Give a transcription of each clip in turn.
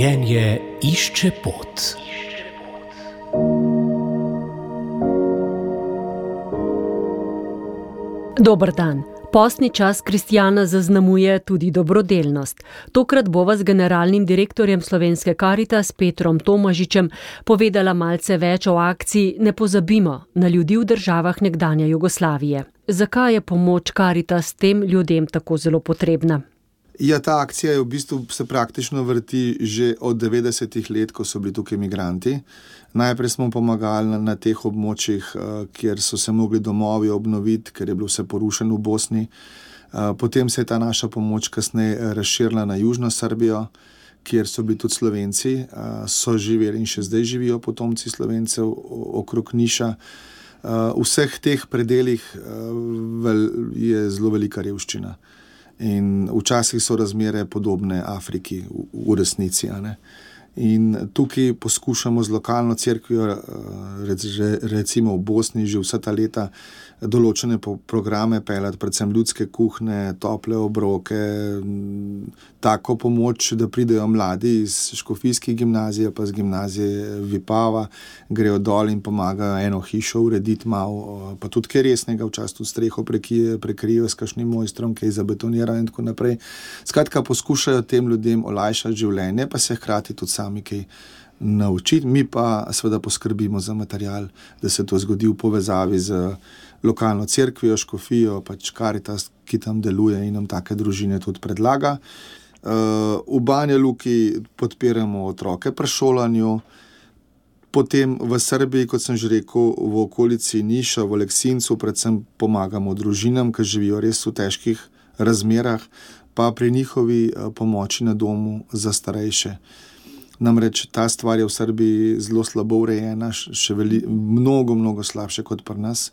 Življenje išče pot. Dober dan. Postni čas kristjana zaznamuje tudi dobrodelnost. Tokrat bova z generalnim direktorjem Slovenske Karitas Petrom Tomažičem povedala malce več o akciji Ne pozabimo na ljudi v državah nekdanje Jugoslavije. Zakaj je pomoč Karitas tem ljudem tako zelo potrebna? Ja, ta akcija je v bistvu se praktično vrti že od 90-ih let, ko so bili tukaj migranti. Najprej smo pomagali na teh območjih, kjer so se mogli domovi obnoviti, ker je bilo vse porušeno v Bosni. Potem se je ta naša pomoč kasneje razširila na južno Srbijo, kjer so bili tudi Slovenci, so živeli in še zdaj živijo potomci Slovencev okrog Niša. V vseh teh predelih je zelo velika revščina. In včasih so razmere podobne Afriki v resnici, a ne. In tukaj poskušamo z lokalno cerkvijo, recimo v Bosni, že vsa ta leta določene programe peljati, predvsem ljudske kuhne, tople obroke, tako pomoč, da pridejo mladi iz škofijskih gimnazije, pa z gimnazije Vipava, grejo dol in pomagajo eno hišo urediti malo, pa tudi kaj resnega, včasih tudi streho prekrijo s kakšnim mojstrom, kaj zabetonirajo in tako naprej. Skratka, poskušajo tem ljudem olajšati življenje, pa se hkrati tudi sami kaj naučiti. Mi pa seveda poskrbimo za material, da se to zgodi v povezavi z lokalno cerkvijo, škofijo, pač Karitas, ki tam deluje in nam take družine tudi predlaga. V Banja Luki podpiramo otroke pri šolanju, potem v Srbiji, kot sem že rekel, v okolici Niša, v Aleksincu, predvsem pomagamo družinam, ki živijo res v težkih razmerah, pa pri njihovi pomoči na domu za starejše. Namreč ta stvar je v Srbiji zelo slabo urejena, še mnogo slabše kot pri nas.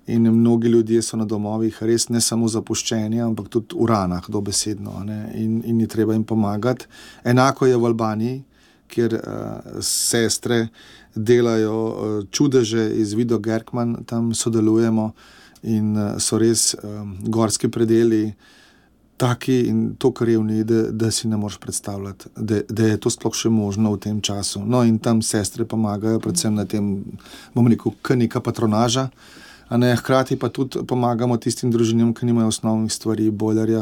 In mnogi ljudje so na domovih res ne samo zapuščeni, ampak tudi v ranah, dobesedno, ne? In je treba jim pomagati. Enako je v Albaniji, kjer sestre delajo čudeže iz Vido Gerkman, tam sodelujemo in so res gorski predeli taki in tako revni, da si ne moreš predstavljati, da je to sploh še možno v tem času. No, in tam sestre pomagajo, predvsem na tem, bom rekel, neka patronaža, a ne, hkrati pa tudi pomagamo tistim družinam, ki nimajo osnovnih stvari, bojlerja,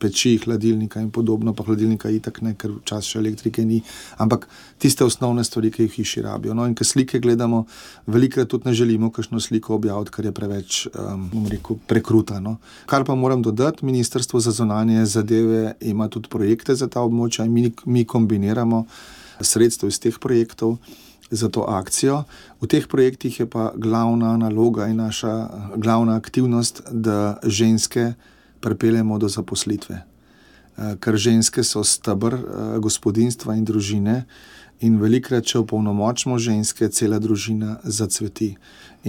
peči, hladilnika in podobno, pa hladilnika itak ne, ker včasih še elektrike ni, ampak tiste osnovne stvari, ki jih hiši rabijo. No, in ko slike gledamo, velikokrat tudi ne želimo kakšno sliko objaviti, ker je preveč, bom rekel, prekruta, no. Kar pa moram dodati, Ministrstvo za zunanje zadeve ima tudi projekte za ta območja in mi kombiniramo sredstev iz teh projektov za to akcijo. V teh projektih je pa glavna naloga in naša glavna aktivnost, da ženske pripeljemo do zaposlitve. Ker ženske so steber gospodinjstva in družine in velikokrat, če opolnomočimo ženske, cela družina zacveti.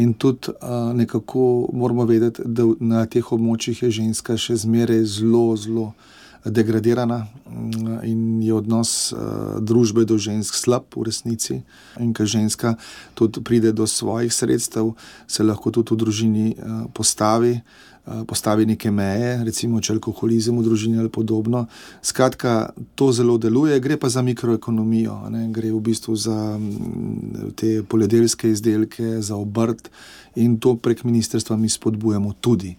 In tudi nekako moramo vedeti, da na teh območjih je ženska še zmeraj zelo degradirana in je odnos družbe do žensk slab v resnici. In ko ženska tudi pride do svojih sredstev, se lahko tudi v družini postavi neke meje, recimo če alkoholizem v družini ali podobno. Skratka, to zelo deluje, gre pa za mikroekonomijo, ne? Gre v bistvu za te poljedelske izdelke, za obrt in to prek ministrstva mi spodbujamo tudi.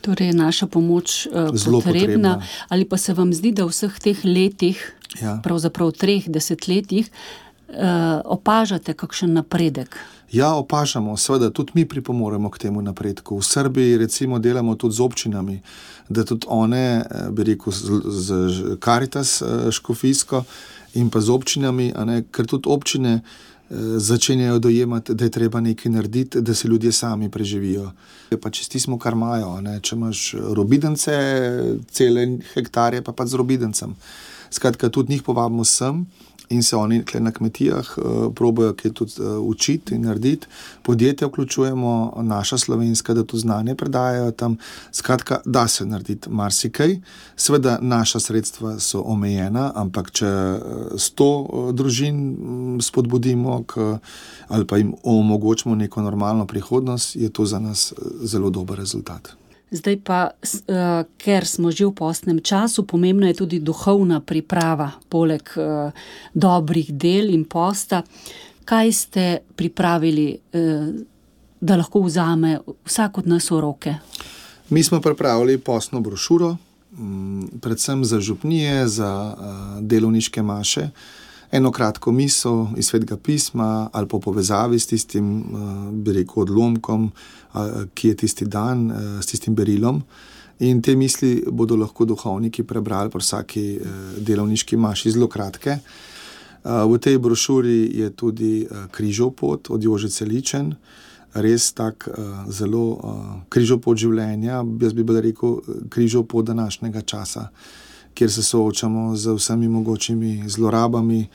Torej je naša pomoč potrebna. Ali pa se vam zdi, da v vseh teh letih, pravzaprav 3 desetletjih, opažate kakšen napredek? Ja, opažamo, seveda, tudi mi pripomoremo k temu napredku. V Srbiji recimo delamo tudi z občinami, da tudi one, bi rekel, z Karitas škofijsko in pa z občinami, a ne, ker tudi občine začenjajo dojemati, da je treba nekaj narediti, da se ljudje sami preživijo. Pa čistismo, kar imajo, ne? Če imaš robidence, cele hektarje, pa z robidencem. Skratka, tudi njih povabimo sem in se oni na kmetijah probajo kaj tudi učiti in narediti. Podjetja vključujemo, naša slovenska, da to znanje predajajo tam. Skratka, da se narediti marsikaj. Seveda, naša sredstva so omejena, ampak če 100 družin spodbudimo ali pa jim omogočimo neko normalno prihodnost, je to za nas zelo dober rezultat. Zdaj pa, ker smo že v postnem času, pomembna je tudi duhovna priprava, poleg dobrih del in posta. Kaj ste pripravili, da lahko vzame vsak od nas v roke? Mi smo pripravili postno brošuro, predvsem za župnije, za delovniške maše, eno kratko misel iz Svetega pisma ali po povezavi s tistim, bi rekel, odlomkom, ki je tisti dan, s tistim berilom. In te misli bodo lahko duhovniki prebrali po vsaki delovniški maši, zelo kratke. V tej brošuri je tudi križov pot od Jožice Ličen, res tak zelo križov pot življenja, jaz bi rekel križov pot današnjega časa, kjer se soočamo z vsemi mogočimi zlorabami,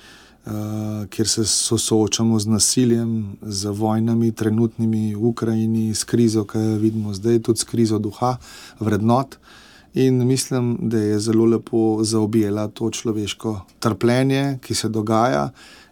kjer se soočamo z nasiljem, z vojnami trenutnimi v Ukrajini, s krizo, ki jo vidimo zdaj, tudi s krizo duha, vrednot. In mislim, da je zelo lepo zaobjela to človeško trpljenje, ki se dogaja,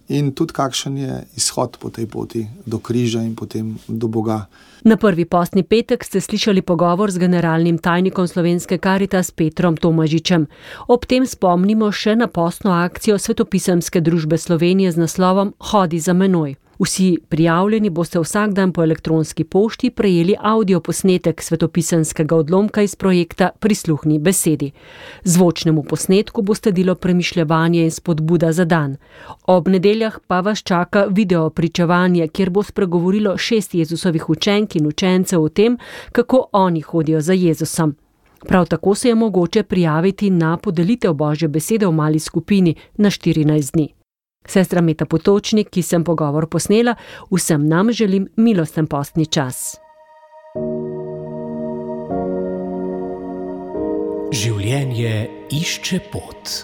in tudi kakšen je izhod po tej poti do križa in potem do Boga. Na prvi postni petek ste slišali pogovor z generalnim tajnikom Slovenske Karitas Petrom Tomažičem. Ob tem spomnimo še na postno akcijo Svetopisemske družbe Slovenije z naslovom Hodi za menoj. Vsi prijavljeni boste vsak dan po elektronski pošti prejeli avdioposnetek svetopisemskega odlomka iz projekta Prisluhni besedi. Zvočnemu posnetku bo sledilo premišljevanje in spodbuda za dan. Ob nedeljah pa vas čaka video pričevanje, kjer bo spregovorilo 6 Jezusovih učenk in učencev o tem, kako oni hodijo za Jezusom. Prav tako se je mogoče prijaviti na podelitev Božje besede v mali skupini na 14 dni. Sestra Meta Potočnik, ki sem pogovor posnela, vsem nam želim milosten postni čas. Življenje išče pot.